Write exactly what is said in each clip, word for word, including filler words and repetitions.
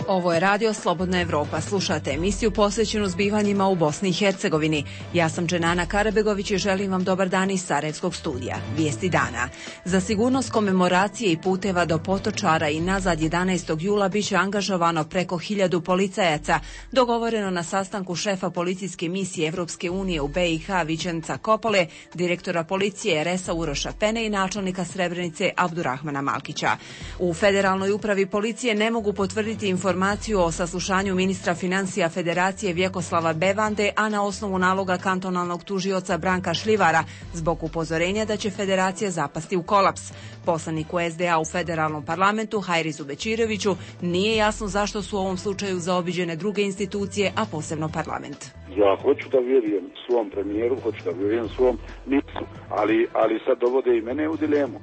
Ovo je Radio Slobodna Evropa. Slušate emisiju posvećenu zbivanjima u Bosni i Hercegovini. Ja sam Dženana Karabegović i želim vam dobar dan iz Sarajevskog studija. Vijesti dana. Za sigurnost komemoracije i puteva do Potočara i nazad jedanaestog jula biće angažovano preko hiljadu policajaca, dogovoreno na sastanku šefa policijske misije Evropske unije u B i H Vičenca Kopole, direktora policije R S-a Uroša Pene i načelnika Srebrenice Abdurahmana Malkića. U Federalnoj upravi policije ne mogu potvrditi informaciju informaciju o saslušanju ministra financija Federacije Vjekoslava Bevande, a na osnovu naloga kantonalnog tužioca Branka Šljivara, zbog upozorenja da će Federacija zapasti u kolaps. Poslaniku S D A u federalnom parlamentu Hajrizu Bečiroviću nije jasno zašto su u ovom slučaju zaobiđene druge institucije, a posebno parlament. Ja hoću da vjerujem svom premijeru, hoću da vjerujem svom ministru, ali, ali sad dovode i mene u dilemu.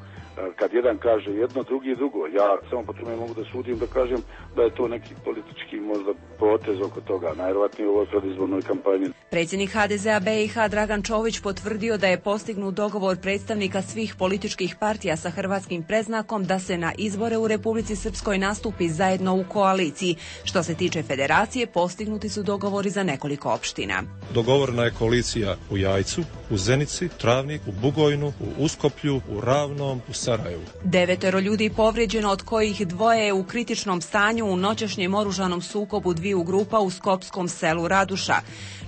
Kad jedan kaže jedno, drugi drugo. Ja samo po tome mogu da sudim, da kažem da je to neki politički možda potez oko toga, najvjerojatnije u ovoj predizbornoj kampanji. Predsjednik H D Z-a B i H Dragan Čović potvrdio da je postignut dogovor predstavnika svih političkih partija sa hrvatskim predznakom da se na izbore u Republici Srpskoj nastupi zajedno u koaliciji. Što se tiče federacije, postignuti su dogovori za nekoliko opština. Dogovorena je koalicija u Jajcu, u Zenici, Travniku, u Bugojnu, u Uskoplju, u Ravnom, u Sarajevu. Devetero ljudi povrijeđeno, od kojih dvoje je u kritičnom stanju u noćašnjem oružanom sukobu dviju grupa u skopskom selu Raduša.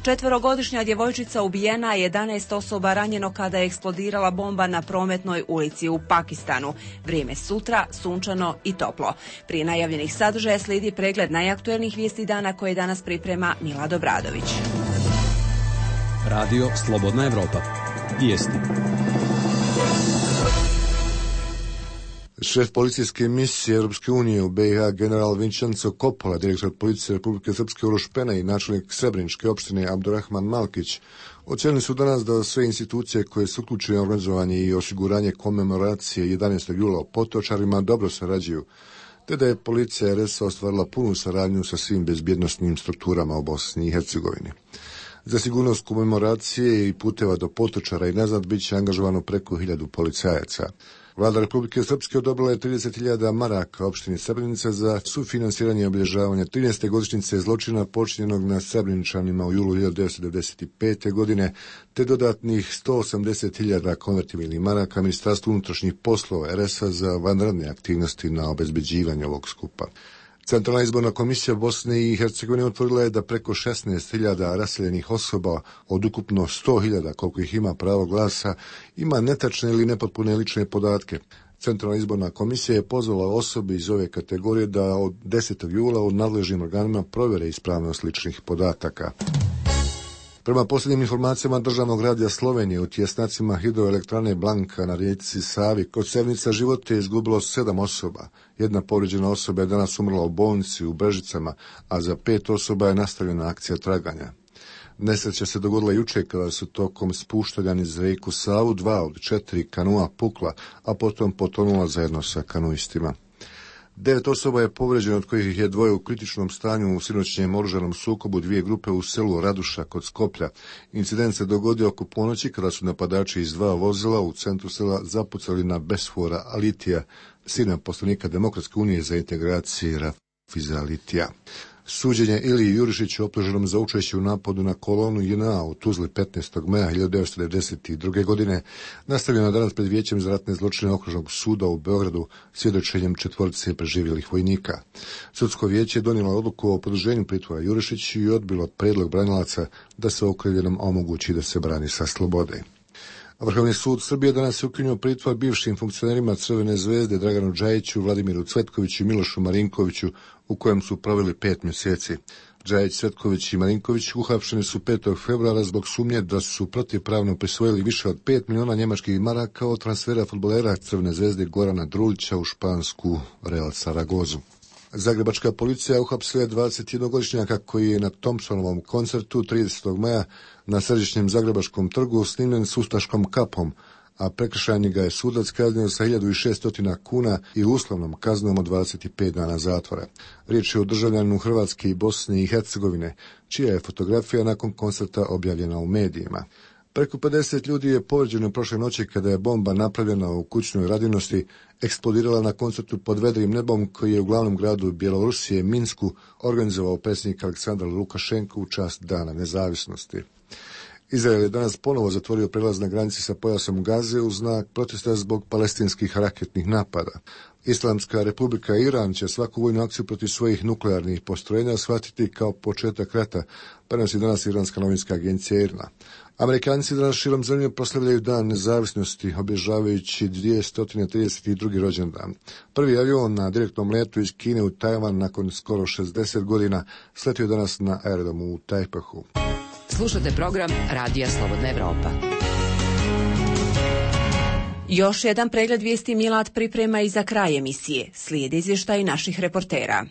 Četverogodišnja djevojčica ubijena, a jedanaest osoba ranjeno kada je eksplodirala bomba na Prometnoj ulici u Pakistanu. Vrijeme sutra, sunčano i toplo. Prije najavljenih sadržaja slijedi pregled najaktuelnijih vijesti dana koje danas priprema Mila Dobradović. Radio Slobodna Evropa. Vijesti. Šef policijske misije Europske unije u B i H general Vincenzo Coppola, direktor policije Republike Srpske Uroš Pena i načelnik Srebreničke opštine Abdurahman Malkić ocijenili su danas da sve institucije koje su uključene u organizovanje i osiguranje komemoracije jedanaestog jula u Potočarima dobro sarađuju, te da je policija R S ostvarila punu saradnju sa svim bezbjednosnim strukturama u Bosni i Hercegovini. Za sigurnost komemoracije i puteva do Potočara i nazad bit će angažovano preko hiljadu policajaca. Vlada Republike Srpske odobrila je trideset hiljada maraka opštini Srebrenica za sufinansiranje i obilježavanje trinaeste godišnjice zločina počinjenog na Srebreničanima u julu hiljadu devetsto devedeset pete. godine, te dodatnih sto osamdeset hiljada konvertibilnih maraka Ministarstvu unutrašnjih poslova R S-a za vanredne aktivnosti na obezbeđivanje ovog skupa. Centralna izborna komisija Bosne i Hercegovine utvrdila je da preko šesnaest hiljada raseljenih osoba od ukupno sto hiljada koliko ih ima pravo glasa ima netačne ili nepotpune lične podatke. Centralna izborna komisija je pozvala osobe iz ove kategorije da od desetog jula u nadležnim organima provjere ispravnost ličnih podataka. Prema posljednjim informacijama Državnog radija Slovenije, u tjesnacima hidroelektrane Blanka na rijeci Savi kod Sevnica živote je izgubilo sedam osoba. Jedna povrijeđena osoba je danas umrla u bolnici u Brežicama, a za pet osoba je nastavljena akcija traganja. Nesreća se dogodila jučer kada su tokom spuštanja niz rijeku Savu dva od četiri kanua pukla, a potom potonula zajedno sa kanuistima. Devet osoba je povrijeđeno, od kojih je dvoje u kritičnom stanju u sinoćnjem oružanom sukobu dvije grupe u selu Raduša kod Skoplja. Incident se dogodio oko ponoći kada su napadači iz dva vozila u centru sela zapucali na Besfora Alitija, sina poslanika Demokratske unije za integraciju Rafiza Alitija. Suđenje Iliji Jurišiću, optuženom za učešće u napadu na kolonu J N A u Tuzli petnaestog maja hiljadu devetsto devedeset druge. godine nastavljeno danas pred Vijećem za ratne zločine Okružnog suda u Beogradu svjedočenjem četvorice preživjelih vojnika. Sudsko vijeće je donijelo odluku o produženju pritvora Jurišiću i odbilo predlog branilaca da se okrivljenom omogući da se brani sa slobode. Vrhovni sud Srbije danas je ukinuo pritvor bivšim funkcionerima Crvene zvezde Draganu Džajiću, Vladimiru Cvetkoviću i Milošu Marinkoviću, u kojem su proveli pet mjeseci. Džajić, Cvetković i Marinković uhapšeni su petog februara zbog sumnje da su protivpravno prisvojili više od pet miliona njemačkih maraka od transfera fudbalera Crvene zvezde Gorana Druljića u špansku Real Saragozu. Zagrebačka policija uhapsila dvadesetjednogodišnjaka koji je na Thompsonovom koncertu tridesetog maja na središnjem Zagrebačkom trgu snimljen s ustaškom kapom, a prekršajni ga je sudac kaznio sa hiljadu šesto kuna i uslovnom kaznom od dvadeset pet dana zatvora. Riječ je o državljaninu Hrvatske i Bosne i Hercegovine, čija je fotografija nakon koncerta objavljena u medijima. Preko pedeset ljudi je povrijeđeno prošle noći kada je bomba napravljena u kućnoj radinosti eksplodirala na koncertu pod vedrim nebom koji je u glavnom gradu Bjelorusije, Minsku, organizovao predsjednik Aleksandar Lukašenko u čast Dana nezavisnosti. Izrael je danas ponovo zatvorio prelaz na granici sa pojasom Gaze u znak protesta zbog palestinskih raketnih napada. Islamska republika Iran će svaku vojnu akciju protiv svojih nuklearnih postrojenja shvatiti kao početak rata, prenosi danas iranska novinska agencija I R N A. Amerikanci danas širom zemlje proslavljaju Dan nezavisnosti, obilježavajući dvjesto trideset drugi rođendan. Prvi avion na direktnom letu iz Kine u Tajvan nakon skoro šezdeset godina sletio danas na aerodromu u Tajpehu. Slušate program Radija Slobodna Evropa. Još jedan pregled vijesti Milad priprema i za kraj emisije. Slijede izvještaj naših reportera.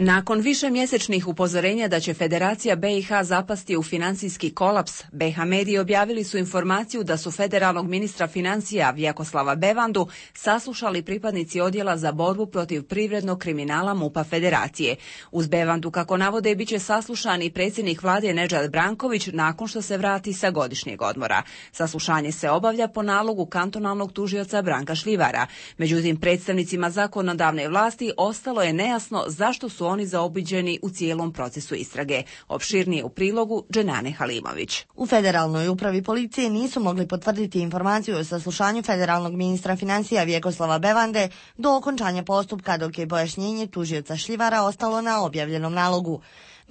Nakon višemjesečnih upozorenja da će Federacija B i H zapasti u financijski kolaps, B H mediji objavili su informaciju da su federalnog ministra financija Vjakoslava Bevandu saslušali pripadnici odjela za borbu protiv privrednog kriminala MUP-a Federacije. Uz Bevandu, kako navode, bit će saslušan i predsjednik vlade Nedžad Branković nakon što se vrati sa godišnjeg odmora. Saslušanje se obavlja po nalogu kantonalnog tužioca Branka Šljivara. Međutim, predstavnicima zakonodavne vlasti ostalo je nejasno zašto su oni zaobiđeni u cijelom procesu istrage. Opširnije u prilogu Dženane Halimović. U Federalnoj upravi policije nisu mogli potvrditi informaciju o saslušanju federalnog ministra financija Vjekoslava Bevande do okončanja postupka, dok je pojašnjenje tužioca Šljivara ostalo na objavljenom nalogu.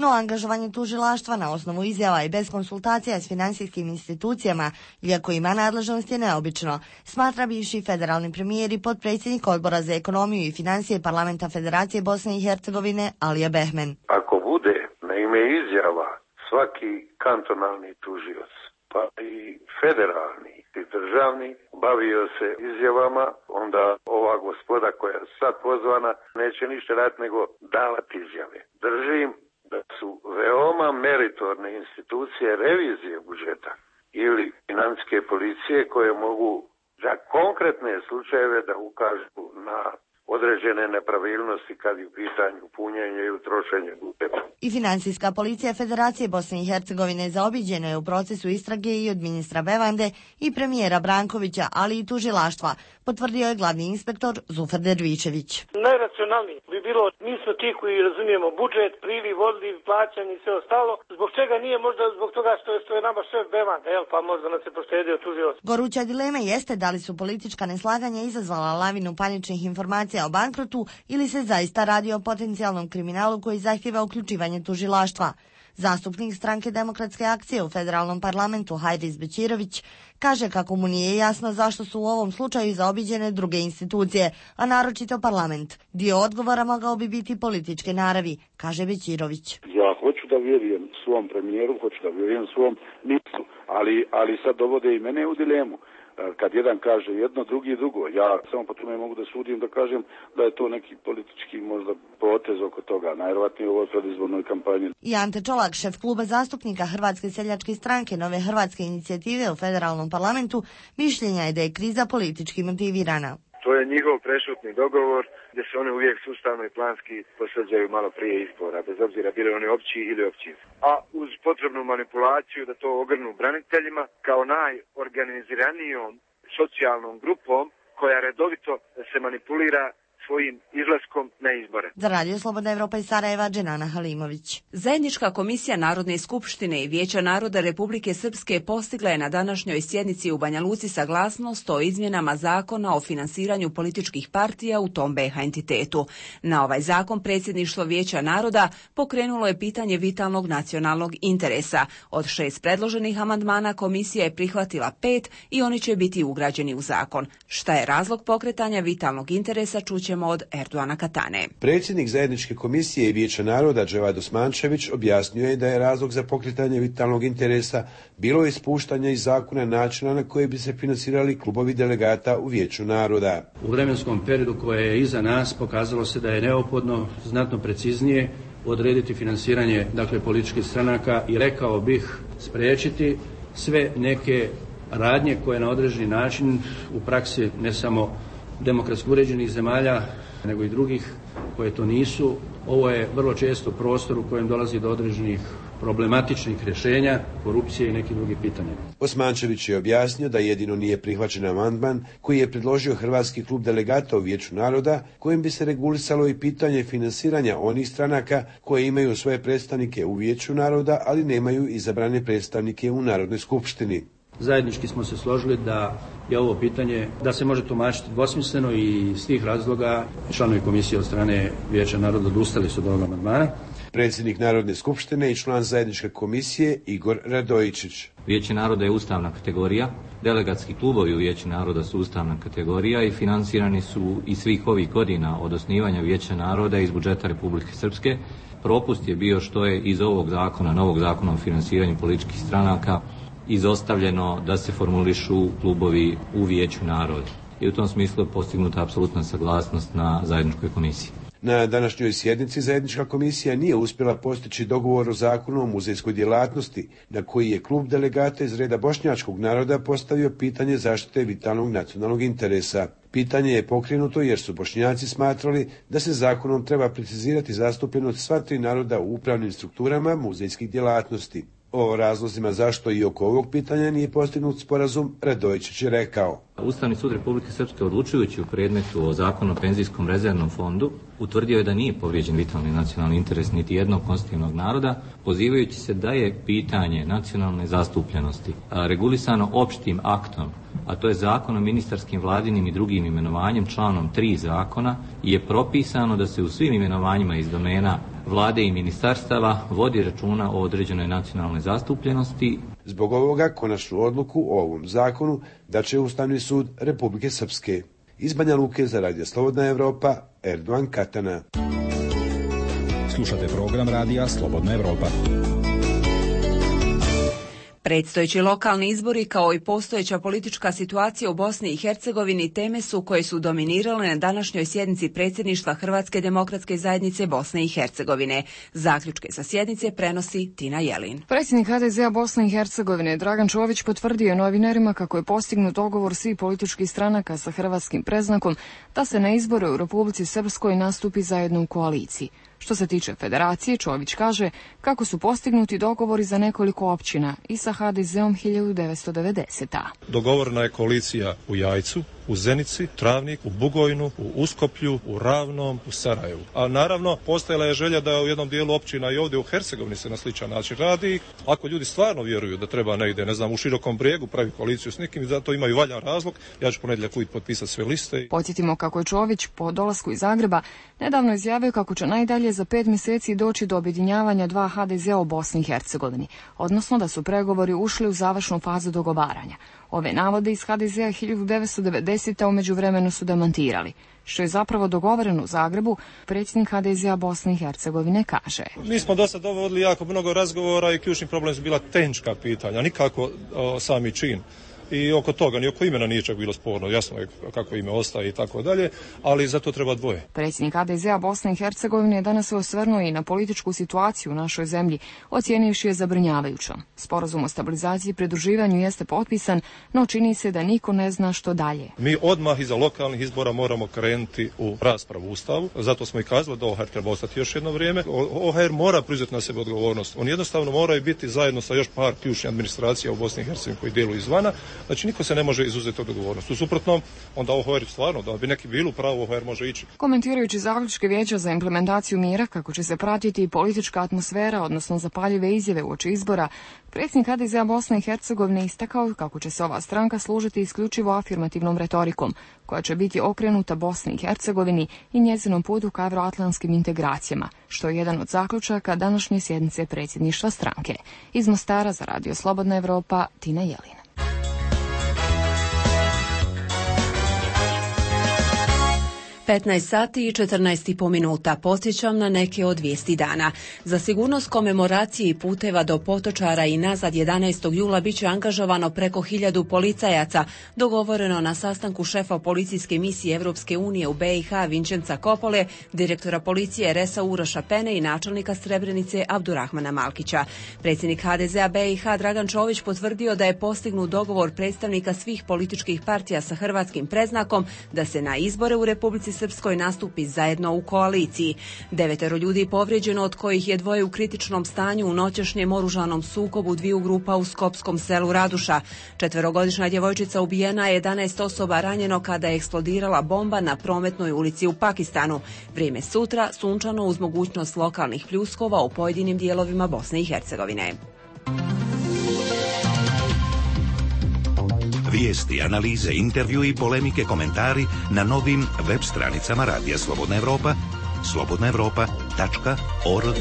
No angažovanje tužilaštva na osnovu izjava i bez konsultacija s financijskim institucijama, iako ima nadležnost, je neobično, smatra bivši federalni premijer i potpredsjednik Odbora za ekonomiju i financije Parlamenta Federacije Bosne i Hercegovine Alija Behmen. Ako bude na ime izjava svaki kantonalni tužioc, pa i federalni i državni, bavio se izjavama, onda ova gospoda koja je sad pozvana neće ništa raditi nego davati izjave. Držim da su veoma meritorne institucije revizije budžeta ili financijske policije koje mogu za konkretne slučajeve da ukažu na određene nepravilnosti kad je u pitanju punjenje i utrošenje budžeta. I financijska policija Federacije Bosne i Hercegovine zaobiđena je u procesu istrage i od ministra Bevande i premijera Brankovića, ali i tužilaštva, potvrdio je glavni inspektor Zufer Dervičević. Najracionalniji bi bilo, mi smo ti koji razumijemo budžet, priliv, odliv, plaćanje i sve ostalo. Zbog čega nije, možda zbog toga što je, što je nama šef Bevanda, jel, pa možda nas je poštedio tužilac. Goruća dilema jeste da li su politička neslaganja izazvala lavinu paničnih informacija o bankrotu ili se zaista radi o potencijalnom kriminalu koji zahtjeva uključivanje tužilaštva. Zastupnik stranke Demokratske akcije u federalnom parlamentu Hajris Bećirović kaže kako mu nije jasno zašto su u ovom slučaju zaobiđene druge institucije, a naročito parlament. Dio odgovora mogao bi biti političke naravi, kaže Bećirović. Ja hoću da vjerujem svom premijeru, hoću da vjerujem svom ministru, ali, ali sad dovode i mene u dilemu. Kad jedan kaže jedno, drugi drugo. Ja samo po tome mogu da sudim, da kažem da je to neki politički možda potez oko toga, najvjerojatnije u ovoj predizbornoj kampanji. I Ante Čolak, šef kluba zastupnika Hrvatske seljačke stranke Nove Hrvatske inicijative u federalnom parlamentu, mišljenja je da je kriza politički motivirana. To je njihov prešutni dogovor gdje se oni uvijek sustavno i planski posvađaju malo prije izbora, bez obzira bili oni opći ili općinski. A uz potrebnu manipulaciju da to ogrnu braniteljima kao najorganiziranijom socijalnom grupom koja redovito se manipulira svojim izlaskom na izbore. Za Radio Slobodna Evropa iz Sarajeva, Dženana Halimović. Zajednička komisija Narodne skupštine i Vijeća naroda Republike Srpske postigla je na današnjoj sjednici u Banja Luci saglasnost o izmjenama zakona o finansiranju političkih partija u tom B H entitetu. Na ovaj zakon predsjedništvo Vijeća naroda pokrenulo je pitanje vitalnog nacionalnog interesa. Od šest predloženih amandmana komisija je prihvatila pet i oni će biti ugrađeni u zakon. Šta je razlog pokretanja vitalnog interesa, čućemo od Erdoana Katane. Predsjednik zajedničke komisije i Vijeća naroda Dževad Osmančević objasnio je da je razlog za pokretanje vitalnog interesa bilo ispuštanje iz zakona načina na koji bi se finansirali klubovi delegata u Vijeću naroda. U vremenskom periodu koje je iza nas pokazalo se da je neophodno znatno preciznije odrediti finansiranje dakle političkih stranaka i rekao bih spriječiti sve neke radnje koje na određeni način u praksi ne samo demokratski uređenih zemalja, nego i drugih koje to nisu. Ovo je vrlo često prostor u kojem dolazi do određenih problematičnih rješenja, korupcije i nekih drugih pitanja. Osmančević je objasnio da jedino nije prihvaćen amandman koji je predložio Hrvatski klub delegata u Vijeću naroda, kojim bi se regulisalo i pitanje finansiranja onih stranaka koje imaju svoje predstavnike u Vijeću naroda, ali nemaju izabrane predstavnike u Narodnoj skupštini. Zajednički smo se složili da je ovo pitanje da se može tumačiti dvosmisleno i iz tih razloga članovi komisije od strane Vijeća naroda odustali su od ovog amandmana. Predsjednik Narodne skupštine i član zajedničke komisije Igor Radojičić. Vijeće naroda je ustavna kategorija, delegatski klubovi u Vijeću naroda su ustavna kategorija i financirani su i svih ovih godina od osnivanja Vijeća naroda iz budžeta Republike Srpske. Propust je bio što je iz ovog zakona, novog zakona o finansiranju političkih stranaka, izostavljeno da se formulišu klubovi u Vijeću naroda. I u tom smislu je postignuta apsolutna saglasnost na zajedničkoj komisiji. Na današnjoj sjednici zajednička komisija nije uspjela postići dogovor o zakonu o muzejskoj djelatnosti, na koji je klub delegata iz reda bošnjačkog naroda postavio pitanje zaštite vitalnog nacionalnog interesa. Pitanje je pokrenuto jer su Bošnjaci smatrali da se zakonom treba precizirati zastupljenost sva tri naroda u upravnim strukturama muzejskih djelatnosti. O razlozima zašto i oko ovog pitanja nije postignut sporazum, Radojičić je rekao. Ustavni sud Republike Srpske, odlučujući u predmetu o zakonu o penzijskom rezervnom fondu, utvrdio je da nije povrijeđen vitalni nacionalni interes niti jednog konstitutivnog naroda, pozivajući se da je pitanje nacionalne zastupljenosti regulisano opštim aktom, a to je zakon o ministarskim, vladinim i drugim imenovanjem, članom tri zakona, je propisano da se u svim imenovanjima iz domena vlade i ministarstava vodi računa o određenoj nacionalnoj zastupljenosti. Zbog ovoga konačnu odluku o ovom zakonu daće Ustavni sud Republike Srpske. Iz Banja Luke za Radio Slobodna Evropa, Erdogan Katana. Slušate program Radija Slobodna Evropa. Predstojeći lokalni izbori kao i postojeća politička situacija u Bosni i Hercegovini teme su koje su dominirale na današnjoj sjednici predsjedništva Hrvatske demokratske zajednice Bosne i Hercegovine. Zaključke sa sjednice prenosi Tina Jelin. Predsjednik ha de zea Bosne i Hercegovine Dragan Čović potvrdio novinarima kako je postignut dogovor svih političkih stranaka sa hrvatskim predznakom da se na izbore u Republici Srpskoj nastupi zajedno u koaliciji. Što se tiče federacije, Čović kaže kako su postignuti dogovori za nekoliko općina i sa ha de zeom hiljadu devetsto devedesete. Dogovorena je koalicija u Jajcu, u Zenici, Travnik, u Bugojnu, u Uskoplju, u Ravnom, u Sarajevu. A naravno, postojala je želja da u jednom dijelu općina i ovdje u Hercegovini se na sličan način radi. Ako ljudi stvarno vjeruju da treba negdje, ne znam, u Širokom Brijegu pravi koaliciju s nekim, zato imaju valjan razlog, ja ću ponedjeljak uvijek potpisati sve liste. Podsjetimo kako je Čović po dolasku iz Zagreba nedavno izjavio kako će najdalje za pet mjeseci doći do objedinjavanja dva ha de zea u Bosni i Hercegovini, odnosno da su pregovori ušli u završnu fazu dogovaranja. Ove navode iz ha de zea hiljadu devetsto devedesete u međuvremenu su demantirali. Što je zapravo dogovoreno u Zagrebu, predsjednik ha de zea Bosne i Hercegovine kaže. Mi smo do sad vodili jako mnogo razgovora i ključni problem su bila tehnička pitanja, nikako o, sami čin. I oko toga, ni oko imena nije čak bilo sporno, jasno je kako ime ostaje i tako dalje, ali za to treba dvoje. Predsjednik ha de zea Bosne i Hercegovine je danas se osvrnuo i na političku situaciju u našoj zemlji, ocijenivši je zabrinjavajućom. Sporazum o stabilizaciji i pridruživanju jeste potpisan, no čini se da niko ne zna što dalje. Mi odmah iza lokalnih izbora moramo krenuti u raspravu u Ustavu, zato smo i kazali da o ha er treba ostati još jedno vrijeme. o ha er mora preuzeti na sebe odgovornost. Oni jednostavno moraju biti zajedno sa još par ključnih administracija u Bosni i Hercegovini koji djeluju izvana. Znači niko se ne može izuzeti od odgovornosti. U suprotnom, onda o ha er stvarno, da bi neki bilo pravo, o ha er može ići. Komentirajući zaključke Vijeća za implementaciju mira, kako će se pratiti politička atmosfera, odnosno zapaljive izjave uoči izbora, predsjednik ha de zea Bosne i Hercegovine istakao kako će se ova stranka služiti isključivo afirmativnom retorikom, koja će biti okrenuta Bosni i Hercegovini i njezinom putu ka evroatlantskim integracijama, što je jedan od zaključaka današnje sjednice predsjedništva stranke. Iz Mostara za Radio Slobodna Evropa, Tina Jelin. petnaest sati i četrnaest i po minuta. Podsjećam na neke od vijesti dana. Za sigurnost komemoracije i puteva do Potočara i nazad jedanaestog jula biće angažovano preko hiljadu policajaca, dogovoreno na sastanku šefa policijske misije Evropske unije u be i ha Vinčenca Kopole, direktora policije Resa Uroša Pene i načelnika Srebrenice Abdurahmana Malkića. Predsjednik ha de zea be i ha Dragan Čović potvrdio da je postignut dogovor predstavnika svih političkih partija sa hrvatskim predznakom da se na izbore u Republici Srpskoj nastupi zajedno u koaliciji. Devetero ljudi povrijeđeno, od kojih je dvoje u kritičnom stanju u noćašnjem oružanom sukobu dviju grupa u skopskom selu Raduša. Četverogodišnja djevojčica ubijena, je jedanaest osoba ranjeno kada je eksplodirala bomba na Prometnoj ulici u Pakistanu. Vrijeme sutra sunčano uz mogućnost lokalnih pljuskova u pojedinim dijelovima Bosne i Hercegovine. Vijesti, analize, intervju i polemike, komentari na novim web stranicama Radija Slobodna Evropa, slobodna evropa tačka org.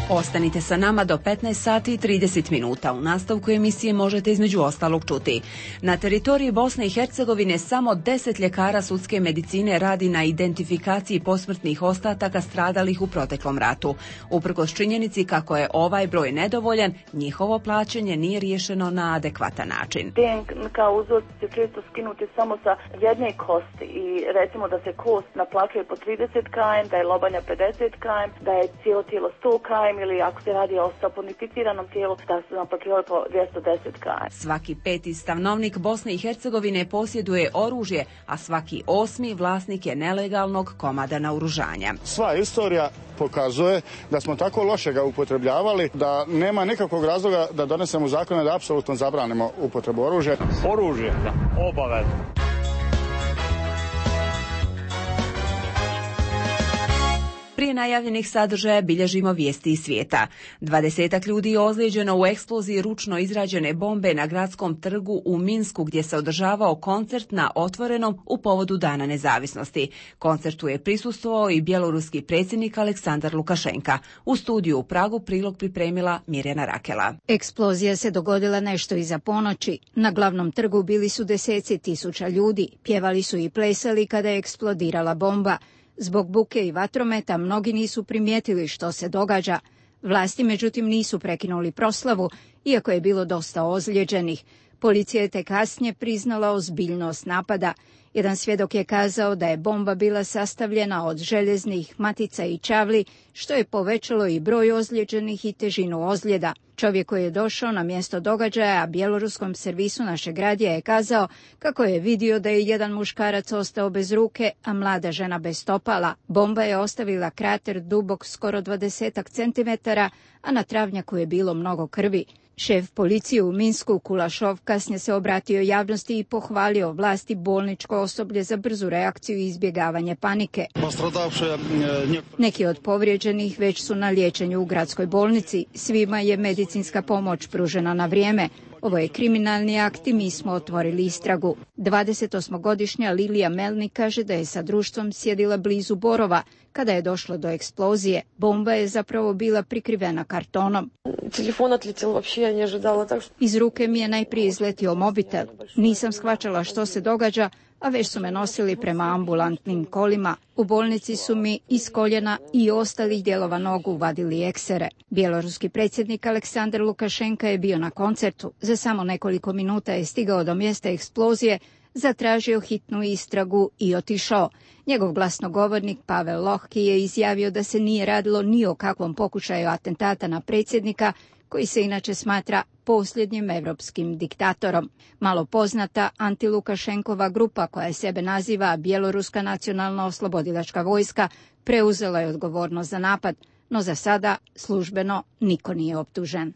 Ostanite sa nama do petnaest sati i trideset minuta. U nastavku emisije možete između ostalog čuti. Na teritoriji Bosne i Hercegovine samo deset ljekara sudske medicine radi na identifikaciji posmrtnih ostataka stradalih u proteklom ratu. Uprkos činjenici kako je ovaj broj nedovoljan, njihovo plaćanje nije riješeno na adekvatan način. D N K uzorci se često skinuti samo sa jedne kosti i recimo da se kost naplaćuje po trideset kilometara, da je lobanja pedeset kilometara, da je cijelo tijelo sto kilometara, ili ako se radi o saponificiranom tijelu, da se naplaćuje po dvjesto deset kilometara. Svaki peti stanovnik Bosne i Hercegovine posjeduje oružje, a svaki osmi vlasnik je nelegalnog komada naoružanja. Sva istorija pokazuje da smo tako loše ga upotrebljavali da nema nikakvog razloga da donesemo zakone da apsolutno zabranimo upotrebu oružja. Oružje, da, obavezno. Prije najavljenih sadržaja bilježimo vijesti iz svijeta. Dvadesetak ljudi je ozlijeđeno u eksploziji ručno izrađene bombe na gradskom trgu u Minsku, gdje se održavao koncert na otvorenom u povodu Dana nezavisnosti. Koncertu je prisustvovao i bjeloruski predsjednik Aleksandar Lukašenka. U studiju u Pragu prilog pripremila Mirjana Rakela. Eksplozija se dogodila nešto iza ponoći. Na glavnom trgu bili su deseci tisuća ljudi. Pjevali su i plesali kada je eksplodirala bomba. Zbog buke i vatrometa mnogi nisu primijetili što se događa. Vlasti međutim nisu prekinuli proslavu, iako je bilo dosta ozlijeđenih. Policija je tek kasnije priznala ozbiljnost napada. Jedan svjedok je kazao da je bomba bila sastavljena od željeznih matica i čavli, što je povećalo i broj ozlijeđenih i težinu ozljeda. Čovjek koji je došao na mjesto događaja, a bjeloruskom servisu našeg radija je kazao kako je vidio da je jedan muškarac ostao bez ruke, a mlada žena bez stopala. Bomba je ostavila krater dubok skoro dvadesetak centimetara, a na travnjaku je bilo mnogo krvi. Šef policije u Minsku, Kulašov, kasnije se obratio javnosti i pohvalio vlasti bolničko osoblje za brzu reakciju i izbjegavanje panike. Neki od povrijeđenih već su na liječenju u gradskoj bolnici. Svima je medicinska pomoć pružena na vrijeme. Ovo je kriminalni akt i mi smo otvorili istragu. dvadesetosmogodišnja Lilija Melnik kaže da je sa društvom sjedila blizu Borova kada je došlo do eksplozije. Bomba je zapravo bila prikrivena kartonom. Iz ruke mi je najprije izletio mobitel. Nisam shvaćala što se događa, a već su me nosili prema ambulantnim kolima. U bolnici su mi iz koljena i ostalih dijelova nogu vadili eksere. Bjeloruski predsjednik Aleksandar Lukašenka je bio na koncertu. Za samo nekoliko minuta je stigao do mjesta eksplozije, zatražio hitnu istragu i otišao. Njegov glasnogovornik Pavel Lohki je izjavio da se nije radilo ni o kakvom pokušaju atentata na predsjednika, koji se inače smatra posljednjim evropskim diktatorom. Malo poznata antilukašenkova grupa, koja sebe naziva Bjeloruska nacionalna oslobodilačka vojska, preuzela je odgovornost za napad, no za sada službeno niko nije optužen.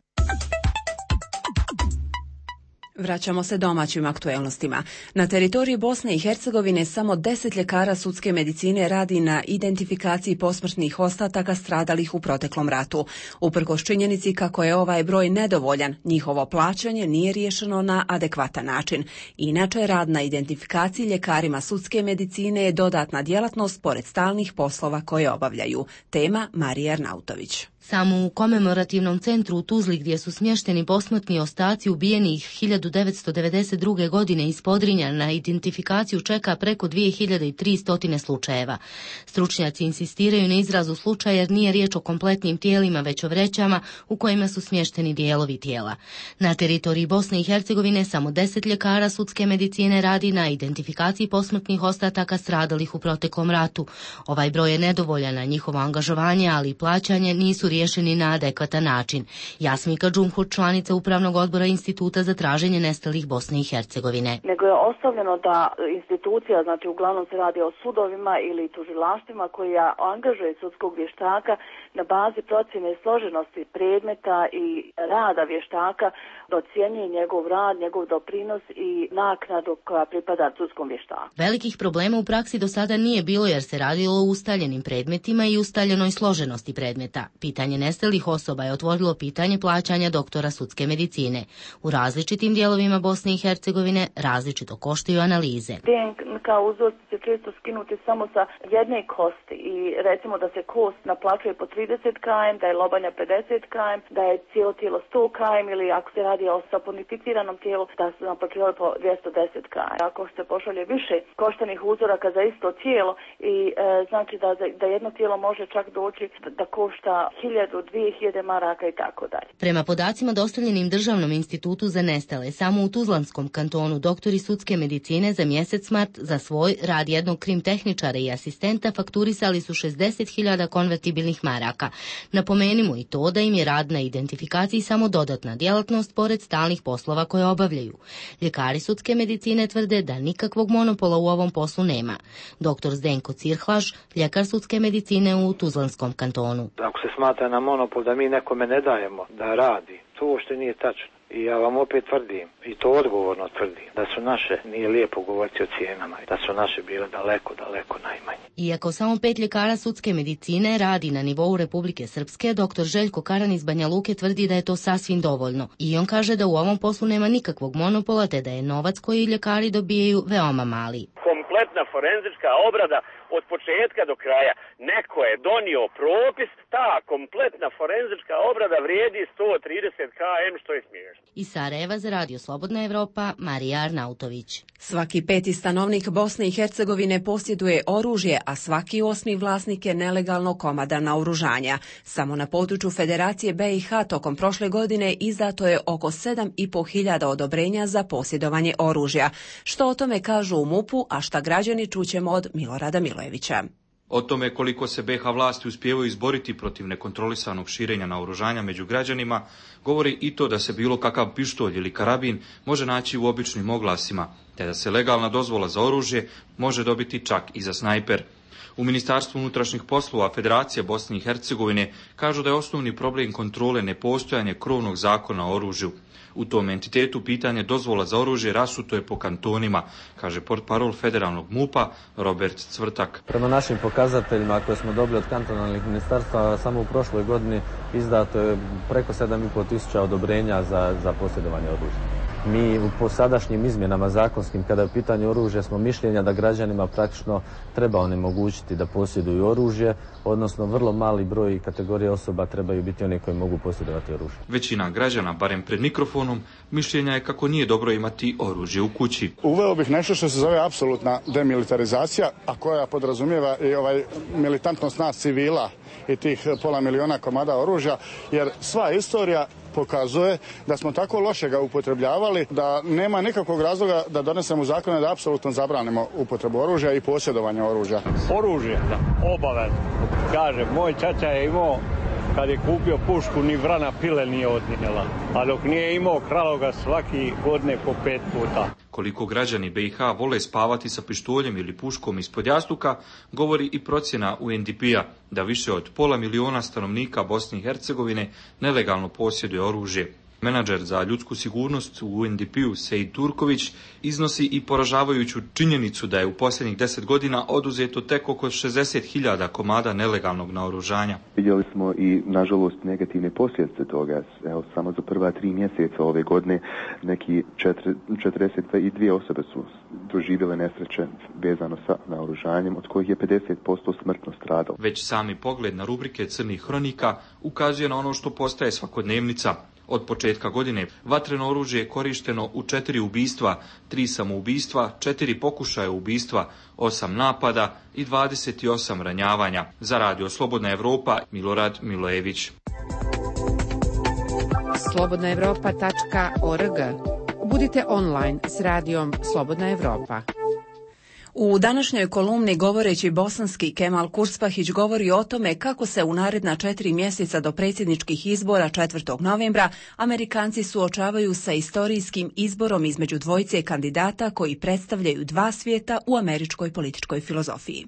Vraćamo se domaćim aktuelnostima. Na teritoriji Bosne i Hercegovine samo deset ljekara sudske medicine radi na identifikaciji posmrtnih ostataka stradalih u proteklom ratu. Uprkos činjenici kako je ovaj broj nedovoljan, njihovo plaćanje nije riješeno na adekvatan način. Inače, rad na identifikaciji ljekarima sudske medicine je dodatna djelatnost pored stalnih poslova koje obavljaju. Tema Marija Arnautović. Samo u komemorativnom centru u Tuzli, gdje su smješteni posmrtni ostaci ubijenih hiljadu devetsto devedeset druge. godine iz Podrinja, na identifikaciju čeka preko dvije hiljade tristo slučajeva. Stručnjaci insistiraju na izrazu slučaja jer nije riječ o kompletnim tijelima, već o vrećama u kojima su smješteni dijelovi tijela. Na teritoriji Bosne i Hercegovine samo deset ljekara sudske medicine radi na identifikaciji posmrtnih ostataka stradalih u proteklom ratu. Ovaj broj je nedovoljan, a njihovo angažovanje, ali i plaćanje nisu riješeni na adekvatan način. Jasmika Džumhur, članica Upravnog odbora Instituta za traženje nestalih Bosne i Hercegovine. Nego je ostavljeno da institucija, znači uglavnom se radi o sudovima ili tužilaštvima koji angažuje sudskog vještaka na bazi procjene složenosti predmeta i rada vještaka, docjenjuje njegov rad, njegov doprinos i naknadu koja pripada sudskom vještaku. Velikih problema u praksi do sada nije bilo jer se radilo o ustaljenim predmetima i ustaljenoj složenosti predmeta. Pitanje nestalih osoba je otvorilo pitanje plaćanja doktora sudske medicine. U različitim dijelovima Bosne i Hercegovine različito koštaju analize. D N K uzorci se često skinuti samo sa jedne kosti i recimo da se kost naplaćuje po trideset kilometara, da je lobanja pedeset kilometara, da je cijelo tijelo sto kilometara ili ako se radi o saponificiranom tijelu da se naplaćuje po dvjesto deset kilometara. Ako se pošalje više koštanih uzoraka za isto tijelo i e, znači da, da jedno tijelo može čak doći da košta hiljadu, dvije hiljade maraka i tako dalje. Prema podacima dostavljenim Državnom institutu za nestale, samo u Tuzlanskom kantonu doktori sudske medicine za mjesec mart za svoj rad jednog krim tehničara i asistenta fakturisali su šezdeset hiljada konvertibilnih maraka. Napomenimo i to da im je rad na identifikaciji samo dodatna djelatnost pored stalnih poslova koje obavljaju. Ljekari sudske medicine tvrde da nikakvog monopola u ovom poslu nema. Doktor Zdenko Cirhlaš, ljekar sudske medicine u Tuzlanskom kantonu. Ako se smatra na monopol da mi nekome ne dajemo da radi, to uopšte nije tačno. I ja vam opet tvrdim, i to odgovorno tvrdim, da su naše, nije lijepo govoriti o cijenama, da su naše bile daleko, daleko najmanje. Iako samo pet ljekara sudske medicine radi na nivou Republike Srpske, doktor Željko Karan iz Banja Luke tvrdi da je to sasvim dovoljno. I on kaže da u ovom poslu nema nikakvog monopola, te da je novac koji ljekari dobijaju veoma mali. Kompletna forenzička obrada od početka do kraja. Neko je donio propis, ta kompletna forenzička obrada vrijedi sto trideset kilometara, što je smiješno. Iz Sarajeva za Radio Slobodna Evropa, Marija Arnautović. Svaki peti stanovnik Bosne i Hercegovine posjeduje oružje, a svaki osmi vlasnik je nelegalno komada naoružanja. Samo na području Federacije B i H tokom prošle godine izdato je oko sedam i po hiljada odobrenja za posjedovanje oružja. Što o tome kažu u MUP-u, a šta građani čućemo od Milorada Milojevića. O tome koliko se B iH vlasti uspijevaju izboriti protiv nekontrolisanog širenja naoružanja među građanima, govori i to da se bilo kakav pištolj ili karabin može naći u običnim oglasima, te da se legalna dozvola za oružje može dobiti čak i za snajper. U Ministarstvu unutrašnjih poslova Federacije Bosne i Hercegovine kažu da je osnovni problem kontrole nepostojanje krovnog zakona o oružju. U tom entitetu pitanje dozvola za oružje rasuto je po kantonima, kaže portparol federalnog MUP-a Robert Cvrtak. Prema našim pokazateljima koje smo dobili od kantonalnih ministarstva, samo u prošloj godini izdato je preko sedam i pol tisuća odobrenja za, za posjedovanje oružja. Mi po sadašnjim izmjenama zakonskim, kada je u pitanju oružja, smo mišljenja da građanima praktično treba onemogućiti da posjeduju oružje, odnosno vrlo mali broj kategorije osoba trebaju biti oni koji mogu posjedovati oružje. Većina građana, barem pred mikrofonom, mišljenja je kako nije dobro imati oružje u kući. Uveo bih nešto što se zove apsolutna demilitarizacija, a koja podrazumijeva i ovaj militantnost nas civila i tih pola miliona komada oružja, jer sva istorija pokazuje da smo tako loše ga upotrebljavali da nema nikakvog razloga da donesemo zakone da apsolutno zabranimo upotrebu oružja i posjedovanje oružja. Oružje, da, obavezno. Kaže, moj čača je imao, kad je kupio pušku, ni vrana pile nije odnijela, a dok nije imao kralo ga svaki godine po pet puta. Koliko građani B iH vole spavati sa pištoljem ili puškom ispod jastuka, govori i procjena U N D P-a da više od pola miliona stanovnika Bosne i Hercegovine nelegalno posjeduje oružje. Menadžer za ljudsku sigurnost u U N D P-u Sejid Turković iznosi i poražavajuću činjenicu da je u posljednjih deset godina oduzeto tek oko šezdeset hiljada komada nelegalnog naoružanja. Vidjeli smo i, nažalost, negativne posljedice toga. Evo, samo za prva tri mjeseca ove godine neki četrdeset dvije osobe su doživjele nesreće vezano sa naoružanjem, od kojih je pedeset posto smrtno stradalo. Već sami pogled na rubrike crnih hronika ukazuje na ono što postaje svakodnevnica. Od početka godine vatreno oružje je korišteno u četiri ubistva, tri samoubistva, četiri pokušaja ubistva, osam napada i dvadeset osam ranjavanja. Za Radio Slobodna Evropa, Milorad Milojević. slobodna evropa tačka org. Budite online s radijom Slobodna Evropa. U današnjoj kolumni govoreći bosanski Kemal Kurspahić govori o tome kako se u naredna četiri mjeseca do predsjedničkih izbora četvrtog novembra Amerikanci suočavaju sa istorijskim izborom između dvojice kandidata koji predstavljaju dva svijeta u američkoj političkoj filozofiji.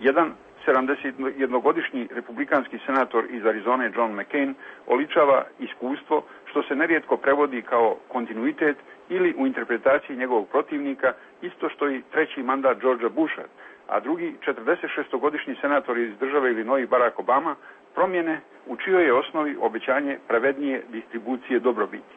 Jedan sedamdesetjednogodišnji republikanski senator iz Arizone John McCain oličava iskustvo što se nerijetko prevodi kao kontinuitet ili u interpretaciji njegovog protivnika isto što i treći mandat Georgea Busha, a drugi četrdesetšestogodišnji senator iz države Illinois Barack Obama promjene u čijoj je osnovi obećanje pravednije distribucije dobrobiti.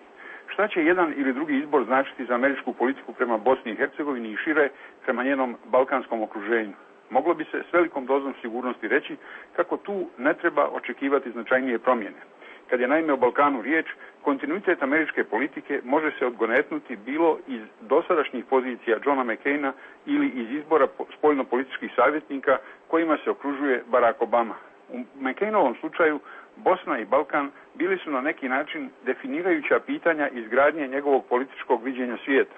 Šta će jedan ili drugi izbor značiti za američku politiku prema Bosni i Hercegovini i šire prema njenom balkanskom okruženju? Moglo bi se s velikom dozom sigurnosti reći kako tu ne treba očekivati značajnije promjene. Kad je naime o Balkanu riječ, kontinuitet američke politike može se odgonetnuti bilo iz dosadašnjih pozicija Johna McCaina ili iz izbora spoljnopolitičkih savjetnika kojima se okružuje Barack Obama. U McCainovom slučaju Bosna i Balkan bili su na neki način definirajuća pitanja izgradnje njegovog političkog viđenja svijeta.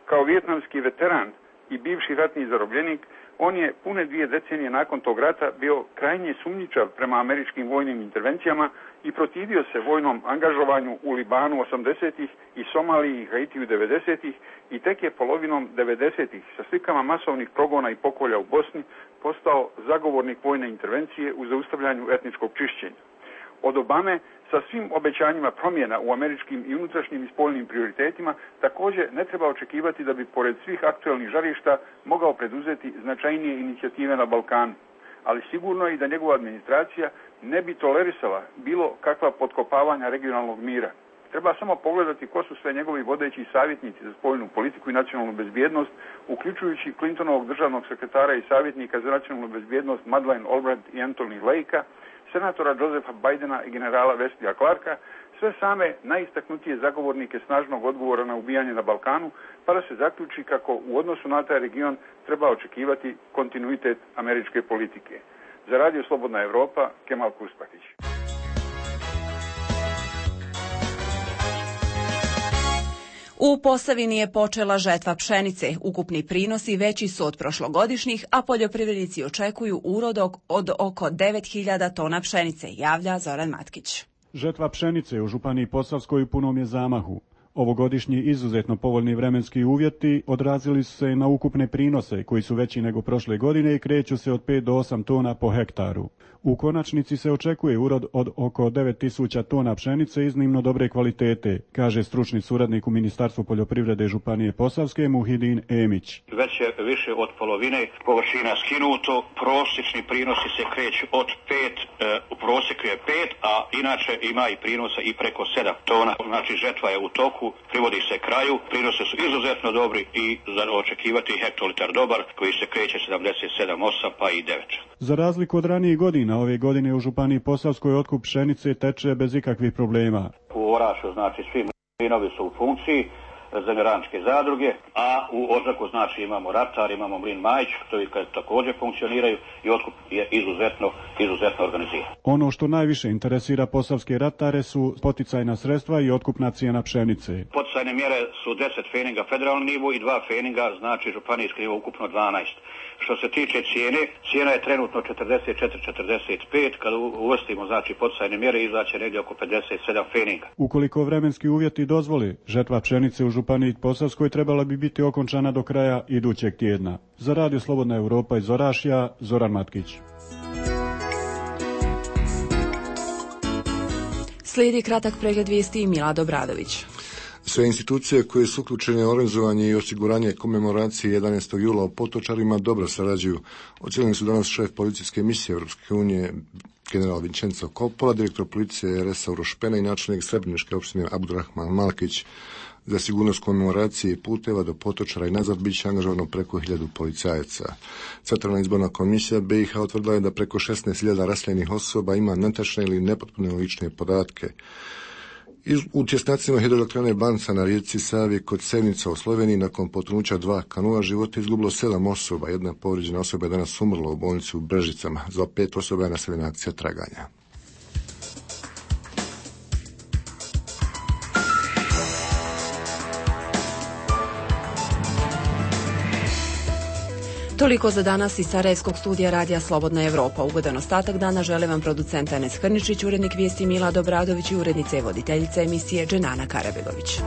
Kao vijetnamski veteran i bivši ratni zarobljenik, on je pune dvije decenije nakon tog rata bio krajnje sumnjičav prema američkim vojnim intervencijama i protivio se vojnom angažovanju u Libanu osamdesetih i Somaliji i Haitiju devedesetih i tek je polovinom devedesetih sa slikama masovnih progona i pokolja u Bosni postao zagovornik vojne intervencije u zaustavljanju etničkog čišćenja. Od Obame sa svim obećanjima promjena u američkim i unutrašnjim i spoljnim prioritetima također ne treba očekivati da bi pored svih aktualnih žarišta mogao preduzeti značajnije inicijative na Balkanu. Ali sigurno je i da njegova administracija ne bi tolerisala bilo kakva potkopavanja regionalnog mira. Treba samo pogledati ko su sve njegovi vodeći savjetnici za spoljnu politiku i nacionalnu bezbjednost, uključujući Clintonovog državnog sekretara i savjetnika za nacionalnu bezbjednost Madeleine Albright i Anthony Lakea, senatora Josepha Bidena i generala Wesleyja Clarka, sve same najistaknutije zagovornike snažnog odgovora na ubijanje na Balkanu, pa da se zaključi kako u odnosu na taj region treba očekivati kontinuitet američke politike. Za Radio Slobodna Evropa, Kemal Kurspahić. U Posavini je počela žetva pšenice. Ukupni prinosi veći su od prošlogodišnjih, a poljoprivrednici očekuju urod od oko devet hiljada tona pšenice, javlja Zoran Matkić. Žetva pšenice u Županiji Posavskoj u punom je zamahu. Ovogodišnji izuzetno povoljni vremenski uvjeti odrazili su se na ukupne prinose koji su veći nego prošle godine i kreću se od pet do osam tona po hektaru. U konačnici se očekuje urod od oko devet tisuća tona pšenice iznimno dobre kvalitete, kaže stručni suradnik u Ministarstvu poljoprivrede Županije Posavske Muhidin Emić. Već je više od polovine površina skinuto, prosječni prinosi se kreću od pet, e, u prosjeku je pet, a inače ima i prinosa i preko sedam tona. Znači žetva je u toku, privodi se kraju, prinose su izuzetno dobri i za očekivati hektolitar dobar koji se kreće sedamdeset sedam, osam pa i devet. Za razliku od ranijih godina, ove godine u Županiji Posavskoj otkup pšenice teče bez ikakvih problema. U Orašu znači svi mlinovi su u funkciji, zemljoradničke zadruge, a u Odžaku znači imamo Ratar, imamo mlin Majić, koji također funkcioniraju i otkup je izuzetno, izuzetno organiziran. Ono što najviše interesira posavske ratare su poticajna sredstva i otkupna cijena pšenice. Poticajne mjere su deset feninga federalni nivo i dva feninga, znači županijski nivo ukupno dvanaest. Što se tiče cijene, cijena je trenutno četrdeset četiri četrdeset pet, kada uvrstimo znači poticajne mjere izaće negdje oko pedeset sedam feninga. Ukoliko vremenski uvjeti dozvoli, žetva pšenice u Županiji Posavskoj trebala bi biti okončana do kraja idućeg tjedna. Za Radio Slobodna Evropa iz Orašja, Zoran Matkić. Slijedi kratak pregled vijesti Milad Obradović. Sve institucije koje su uključene u organizovanje i osiguranje komemoracije jedanaestog jula u Potočarima dobro sarađuju. Ocijenili su danas šef policijske misije Europske unije general Vincenzo Coppola, direktor policije Resa Urošpena i načelnik Srebreničke opštine Abdurrahman Malkić. Za sigurnost komemoracije i puteva do Potočara i nazad bit će angažovano preko hiljadu policajaca. Centralna izborna komisija B i H utvrdila je da preko šesnaest hiljada raseljenih osoba ima netačne ili nepotpune lične podatke. U tjesnacima hidroelektrane Banca na rijeci Savi kod Sevnica u Sloveniji nakon potonuća dva kanua života izgubilo sedam osoba. Jedna povrijeđena osoba je danas umrla u bolnici u Brežicama. Za pet osoba je nastavljena akcija traganja. Toliko za danas iz Sarajevskog studija Radija Slobodna Evropa. Ugodan ostatak dana žele vam producent Enes Hrničić, urednik vijesti Milad Obradović i urednica i voditeljica emisije Dženana Karabegović.